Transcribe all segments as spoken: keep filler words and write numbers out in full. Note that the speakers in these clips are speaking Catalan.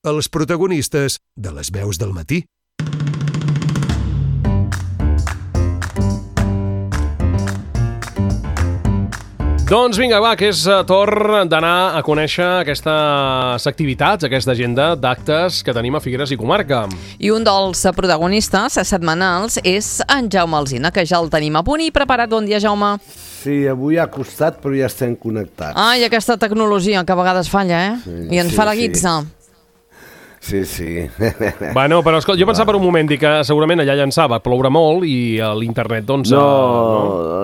els protagonistes de les veus del matí. Doncs vinga, va, que és torn d'anar a conèixer aquestes activitats, aquesta agenda d'actes que tenim a Figueres i comarca. I un dels protagonistes setmanals és en Jaume Alsina, que ja el tenim a punt i preparat. Bon dia, Jaume. Sí, avui ha costat, però ja estem connectats. Ai, aquesta tecnologia que a vegades falla, eh? Sí, I ens sí, fa la guitza. Sí. Sí, sí. Bueno, però escolta, jo pensava per un moment dir que segurament allà llançava, ploure molt i a l'internet, doncs... No,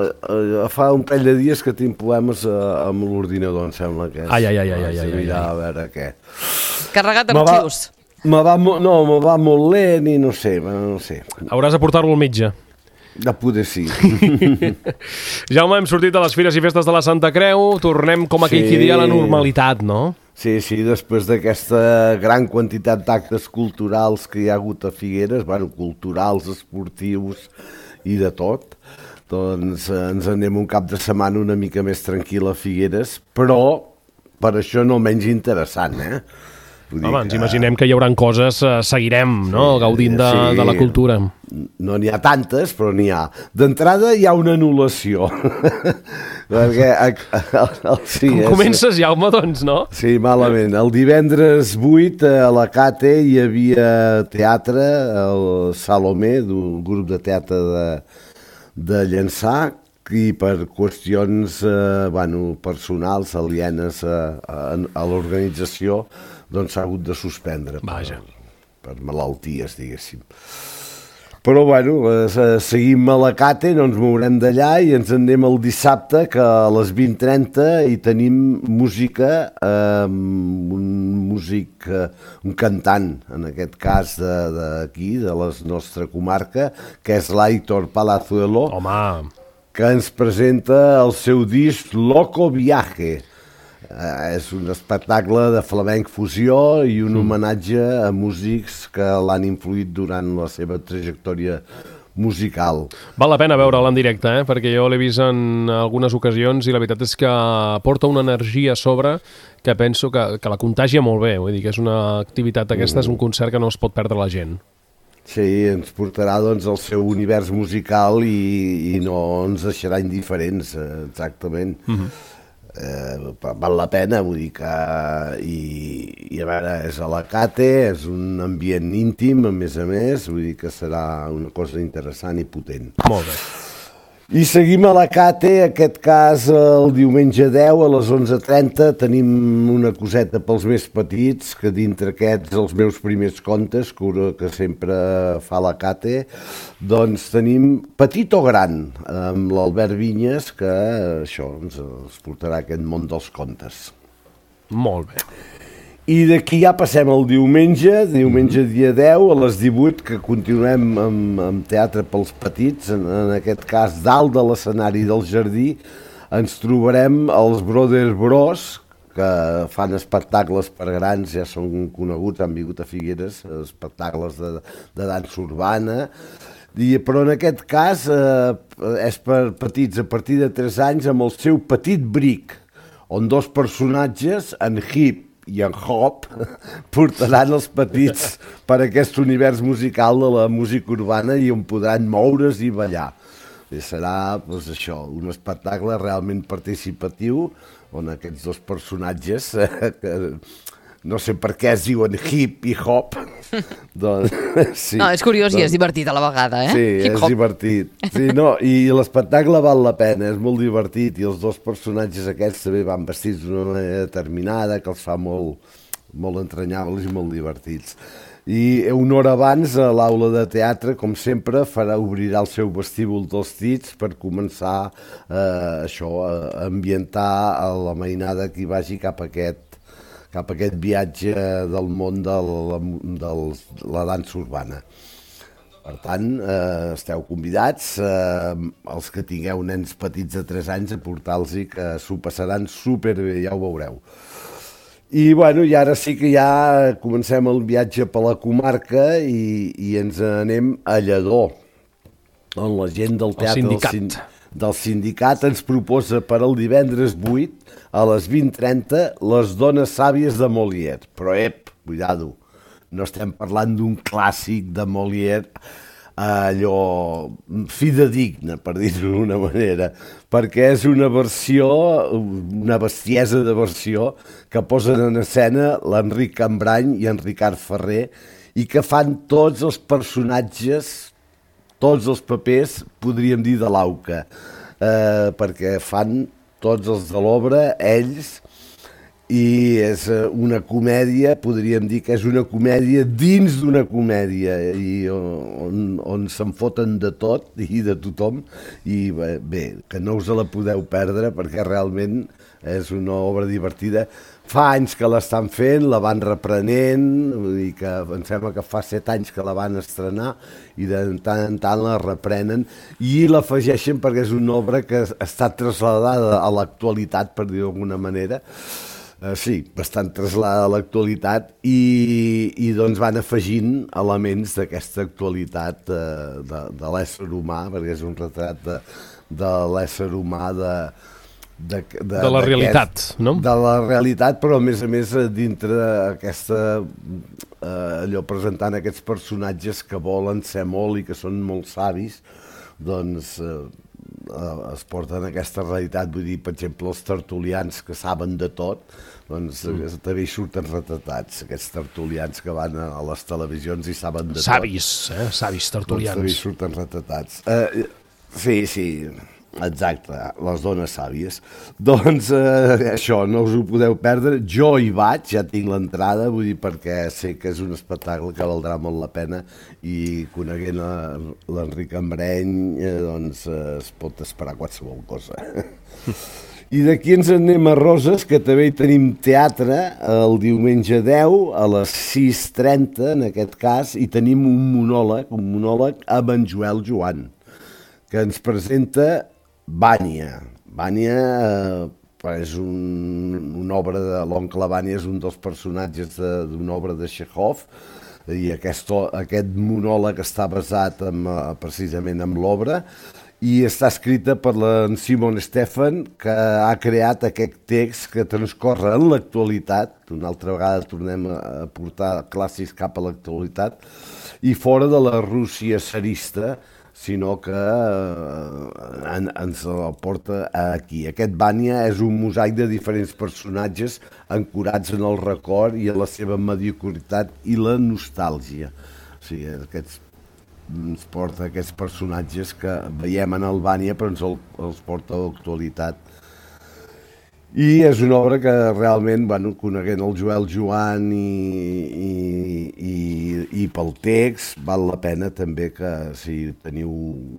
uh, no, fa un parell de dies que tinc problemes uh, amb l'ordinador, em sembla que és. Ai, ai, ai, ai, ai, ai, ai. Mirar a veure què. Carregat d'arxius. Me va, no, me va molt lent i no sé, no sé. Hauràs de portar-lo al metge. De poder sí. Jaume, hem sortit de les fires i festes de la Santa Creu, tornem com aquell qui dia a la normalitat, no? Sí, sí, després d'aquesta gran quantitat d'actes culturals que hi ha hagut a Figueres, bueno, culturals, esportius i de tot, doncs ens anem un cap de setmana una mica més tranquil a Figueres, però per això no menys interessant, eh? Home, ens imaginem que hi haurà coses, eh, seguirem, no?, sí, gaudint de, sí, de la cultura. No n'hi ha tantes, però n'hi ha. D'entrada hi ha una anul·lació. Perquè, sí, Com comences, Jaume, doncs, no? Sí, malament. El divendres vuit a la Cate hi havia teatre, el Salomé, d'un grup de teatre de, de Llançà, i per qüestions eh, bueno, personals, alienes a, a, a l'organització, doncs s'ha hagut de suspendre. Vaja. Per, per malalties, diguéssim. Però, bueno, eh, seguim a la Cate, no ens mourem d'allà i ens en anem el dissabte, que a les vint trenta hi tenim música, eh, un músic, eh, un cantant, en aquest cas d'aquí, de, de la nostra comarca, que és l'Aitor Palazuelo. Home! Que ens presenta el seu disc Loco Viaje. Eh, és un espectacle de flamenc fusió i un homenatge a músics que l'han influït durant la seva trajectòria musical. Val la pena veure'l en directe, eh? Perquè jo l'he vist en algunes ocasions i la veritat és que porta una energia a sobre que penso que, que la contagia molt bé. Vull dir que és una activitat aquesta, mm. és un concert que no es pot perdre la gent. Sí, ens portarà doncs el seu univers musical i, i no ens deixarà indiferents, exactament. Uh-huh. eh, val la pena, vull dir que... I, i a veure, és a la Cate, és un ambient íntim, a més a més, vull dir que serà una cosa interessant i potent. Molt bé. I seguim a la Cate, aquest cas el diumenge deu a les onze trenta tenim una coseta pels més petits, que dintre aquests els meus primers contes, que, que sempre fa la Cate, doncs tenim Petit o Gran, amb l'Albert Vinyes, que això ens, ens portarà a aquest món dels contes. Molt bé. I d'aquí ja passem al diumenge, diumenge dia deu, a les divuit, que continuem amb, amb teatre pels petits, en, en aquest cas dalt de l'escenari del jardí, ens trobarem els Brothers Bros, que fan espectacles per grans, ja són coneguts, han vingut a Figueres, espectacles de, de dansa urbana, i, però en aquest cas eh, és per petits a partir de tres anys amb el seu Petit Bric, on dos personatges, en Hip i en Hop, portaran els petits per aquest univers musical de la música urbana i on podran moure's i ballar. I serà doncs, això, un espectacle realment participatiu on aquests dos personatges, eh, que no sé per què es diuen Hip i Hop, doncs, sí, no, és curiós doncs, i és divertit a la vegada, eh? Sí, Hip és -hop. divertit. Sí, no, i l'espectacle val la pena, és molt divertit i els dos personatges aquests també van vestits d'una manera determinada que els fa molt, molt entranyables i molt divertits. I una hora abans a l'aula de teatre, com sempre, farà obrirà el seu vestíbul dels Tits per començar eh, això, a ambientar a la mainada que hi vagi cap a aquest cap a aquest viatge del món de la, de la dansa urbana. Per tant, eh, esteu convidats, eh, els que tingueu nens petits de tres anys, a portar-los-hi, que s'ho passaran superbé, ja ho veureu. I, bueno, i ara sí que ja comencem el viatge per la comarca i, i ens anem a Lledó, on la gent del teatre... El sindicat. Del, del sindicat ens proposa per al divendres vuit a les vint trenta Les dones sàvies de Molière. Però, ep, cuidado, no estem parlant d'un clàssic de Molière, allò fidedigna, per dir-ho d'una manera, perquè és una versió, una bestiesa de versió que posen en escena l'Enric Cambrany i en Ricard Ferrer i que fan tots els personatges, tots els papers, podríem dir, de l'auca, eh, perquè fan tots els de l'obra, ells, i és una comèdia, podríem dir que és una comèdia dins d'una comèdia, i on, on se'n foten de tot i de tothom, i bé, bé, que no us la podeu perdre perquè realment és una obra divertida. Fa anys que l'estan fent, la van reprenent, vull dir que em sembla que fa set anys que la van estrenar i de tant en tant la reprenen i l'afegeixen perquè és una obra que està trasladada a l'actualitat, per dir-ho d'alguna manera. Uh, sí, bastant trasladada a l'actualitat i, i doncs van afegint elements d'aquesta actualitat uh, de, de l'ésser humà, perquè és un retrat de, de l'ésser humà de, de, de, de la realitat, no? De la realitat, però a més a més dintre aquesta, uh, allò presentant aquests personatges que volen ser molt i que són molt savis, doncs uh, es porten aquesta realitat, vull dir, per exemple, els tertulians que saben de tot, doncs mm. també hi surten retratats, aquests tertulians que van a les televisions i saben de savis, tot. Eh? Savis tertulians. Doncs també hi surten retratats. Uh, sí, sí, exacte, les dones sàvies. Doncs uh, això, no us ho podeu perdre. Jo hi vaig, ja tinc l'entrada, vull dir, perquè sé que és un espectacle que valdrà molt la pena i coneguent l'Enric Cambrany, eh, doncs eh, es pot esperar qualsevol cosa. I d'aquí ens anem a Roses, que també hi tenim teatre el diumenge deu a les sis trenta, en aquest cas, i tenim un monòleg, un monòleg amb en Joel Joan, que ens presenta Vanya. Vanya eh, és un, una obra de l'oncle Vanya, és un dels personatges d'una obra de Chekhov, i aquest, aquest monòleg està basat en, precisament en l'obra, i està escrita per en Simon Stephan, que ha creat aquest text que transcorre en l'actualitat, una altra vegada tornem a portar clàssics cap a l'actualitat, i fora de la Rússia tsarista, sinó que eh, en, ens el porta aquí. Aquest Vanya és un mosaic de diferents personatges ancorats en el record i en la seva mediocritat i la nostàlgia. O sigui, aquests ens porta aquests personatges que veiem en Albània però ens el, els porta a l'actualitat. I és una obra que realment, bueno, coneguent el Joel Joan i, i, i, i pel text, val la pena també que si teniu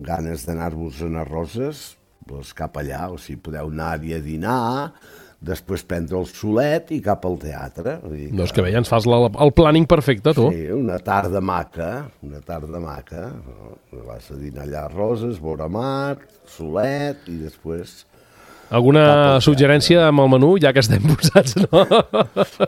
ganes d'anar-vos a Roses, doncs cap allà, o si podeu anar-hi a dinar, després prendre el solet i cap al teatre. Que... Doncs que bé, ja ens fas la, el planning perfecte, tu. Sí, una tarda maca, una tarda maca. No? Vas a dinar allà a Roses, veure mar, solet i després... Alguna suggerència amb el menú, ja que estem posats, no?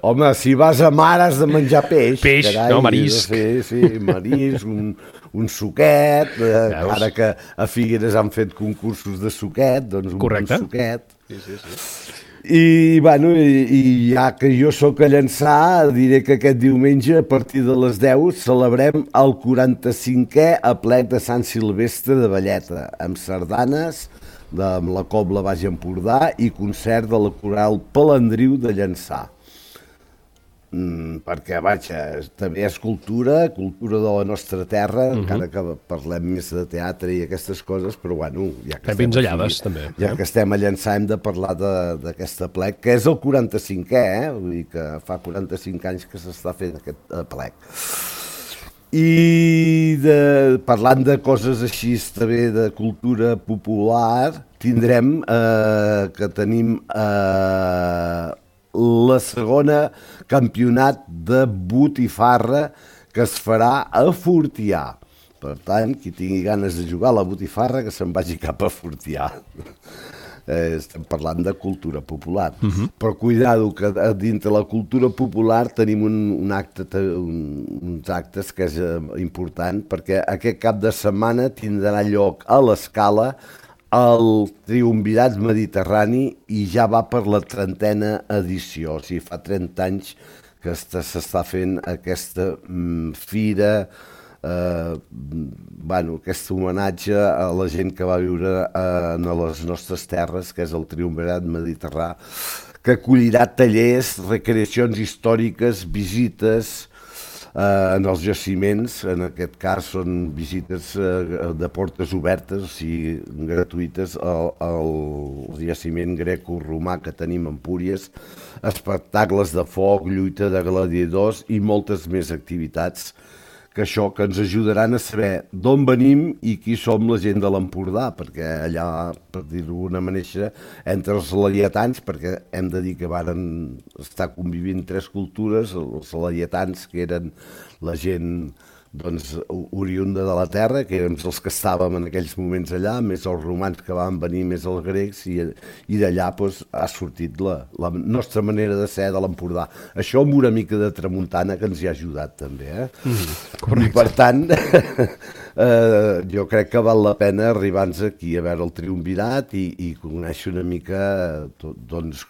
Home, si vas a mar has de menjar peix. Peix, carai, no, marisc. Sí, sí, marisc, un, un suquet, eh, ara que a Figueres han fet concursos de suquet, doncs un Correcte. bon suquet. Sí, sí, sí. I, bueno, i, i ja que jo sóc a Llançà, diré que aquest diumenge, a partir de les deu, celebrem el quaranta-cinquè aplec de Sant Silvestre de Valleta, amb sardanes, de, amb la Cobla Baix Empordà i concert de la Coral Palandriu de Llançà. Mm, perquè, vaja, també és cultura, cultura de la nostra terra, uh-huh. encara que parlem més de teatre i aquestes coses, però bueno, ja que, estem, pinzellades, aquí, també. ja que estem a Llançà hem de parlar d'aquest aplec, que és el quaranta-cinquè, eh? Vull dir que fa quaranta-cinc anys que s'està fent aquest aplec. I de, parlant de coses així també de cultura popular, tindrem eh, que tenim eh, la segona campionat de botifarra que es farà a Fortià. Per tant, qui tingui ganes de jugar a la botifarra que se'n vagi cap a Fortià. Eh, estem parlant de cultura popular. Uh-huh. Però cuidado, que dintre la cultura popular tenim un, un acte, un, uns actes que és eh, important, perquè aquest cap de setmana tindrà lloc a l'Escala el Triumvirat Mediterrani i ja va per la trentena edició, o sigui, fa trenta anys que s'està fent aquesta mm, fira, eh, bueno, aquest homenatge a la gent que va viure eh, a les nostres terres, que és el Triumvirat Mediterrani, que acollirà tallers, recreacions històriques, visites eh, en els jaciments. En aquest cas són visites eh, de portes obertes, o sigui, gratuïtes, al, al jaciment greco-romà que tenim a Empúries, espectacles de foc, lluita de gladiadors i moltes més activitats que això que ens ajudaran a saber d'on venim i qui som la gent de l'Empordà, perquè allà, per dir-ho d'alguna manera, entre els laietans, perquè hem de dir que varen estar convivint tres cultures, els laietans, que eren la gent doncs, oriunda de la terra, que érem els que estàvem en aquells moments allà, més els romans que van venir, més els grecs, i, i d'allà doncs, ha sortit la, la nostra manera de ser de l'Empordà. Això amb una mica de tramuntana que ens hi ha ajudat també. Eh? Mm, I per tant, eh, jo crec que val la pena arribar-nos aquí a veure el Triumvirat i, i conèixer una mica tot, doncs,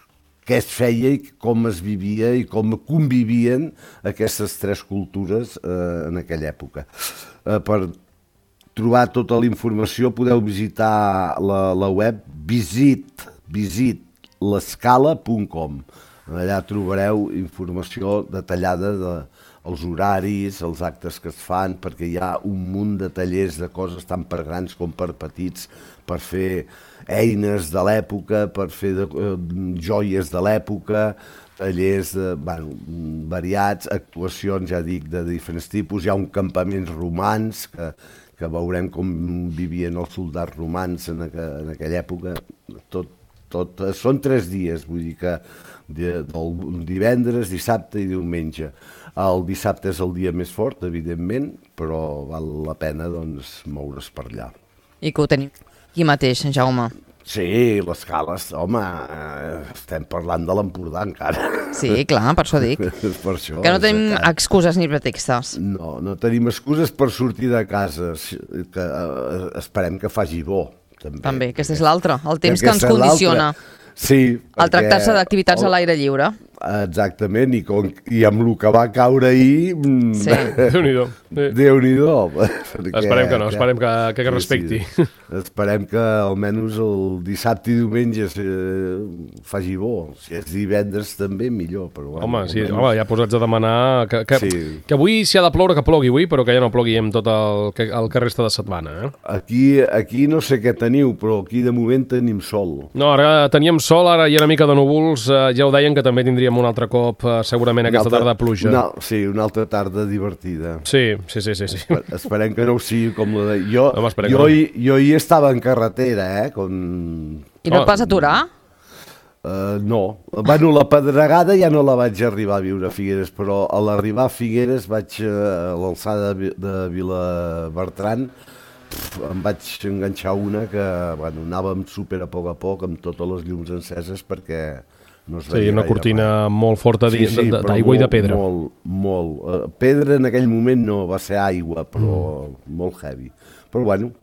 què es feia i com es vivia i com convivien aquestes tres cultures eh, en aquella època. Eh, per trobar tota la informació podeu visitar la, la web visit, visit l'escala punt com. Allà trobareu informació detallada dels horaris, els actes que es fan, perquè hi ha un munt de tallers de coses tant per grans com per petits, per fer eines de l'època, per fer de, eh, joies de l'època, tallers de, bueno, variats, actuacions, ja dic, de diferents tipus. Hi ha un campaments romans que, que veurem com vivien els soldats romans en, aqu en aquella època. Tot, tot, són tres dies, vull dir que de, del divendres, dissabte i diumenge. El dissabte és el dia més fort, evidentment, però val la pena doncs, moure's per allà. I que ho tenim aquí mateix, Jaume. Sí, l'escala, home, eh, estem parlant de l'Empordà encara. Sí, clar, per això dic. Per això, que no tenim excuses ni pretextes. No, no tenim excuses per sortir de casa, que eh, esperem que faci bo. També, també aquest és l'altre, el temps que ens condiciona. Sí. Al tractar-se d'activitats a l'aire lliure. Exactament, i, com, i amb el que va caure ahir... Sí. Déu-n'hi-do. Déu-n'hi-do. Esperem que no, esperem que, que, que respecti. Sí, sí. Esperem que almenys el dissabte i diumenge eh, faci bo. Si és divendres també, millor. Però, bueno, home, sí, almenys... home, ja posats a demanar que, que, sí. que avui, si ha de ploure, que plogui avui, però que ja no plogui amb tot el que, el que resta de setmana. Eh? Aquí, aquí no sé què teniu, però aquí de moment tenim sol. No, ara teníem sol, ara hi ha una mica de núvols, eh, ja ho deien que també tindríem un altre cop, eh, segurament aquesta altra, tarda de pluja. Una, sí, una altra tarda divertida. Sí, sí, sí. sí, sí. Esper, esperem que no ho sigui com la de... Jo, no, jo, no. hi, jo hi estava en carretera, eh? Com... I no et vas aturar? Uh, no. Bueno, la pedregada ja no la vaig arribar a viure a Figueres, però a l'arribar a Figueres vaig uh, a l'alçada de, de Vilabertran, pf, em vaig enganxar una que, bueno, anàvem super a poc a poc amb totes les llums enceses perquè no es veia sí, una gaire cortina mai. molt forta d'aigua sí, sí, i de pedra. Molt, molt. Uh, pedra en aquell moment no, va ser aigua, però mm. molt heavy. Però bueno,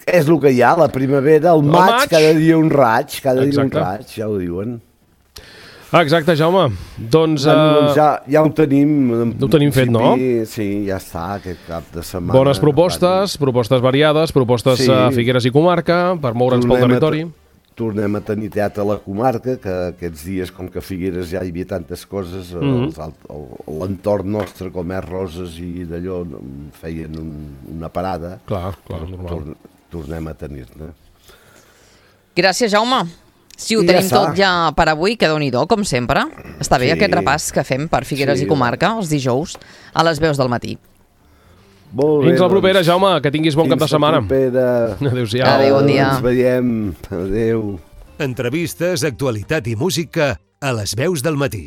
és el que hi ha, la primavera, el, el maig, maig, cada dia un raig, cada Exacte. dia un raig, ja ho diuen. Ah, exacte, Jaume. Doncs, bueno, doncs ja, ja ho tenim. Ho tenim fet, no? Sí, ja està, aquest cap de setmana. Bones propostes, bueno. propostes variades, propostes sí. a Figueres i comarca, per moure'ns pel territori. Tornem a tenir teatre a la comarca, que aquests dies, com que a Figueres ja hi havia tantes coses, mm -hmm. l'entorn nostre, com és Roses i d'allò, feien un, una parada. Clar, clar, normal. Tor tornem a tenir-ne. Gràcies, Jaume. Si ho I tenim ja tot ja per avui, que déu-n'hi-do, com sempre. Està bé sí. aquest repàs que fem per Figueres sí. i comarca, els dijous, a les veus del matí. Molt bé, fins la propera, doncs, Jaume, que tinguis bon cap de setmana. Fins la propera. Adéu-siau. Adéu, bon dia. Ens veiem. Adéu. Entrevistes, actualitat i música a les veus del matí.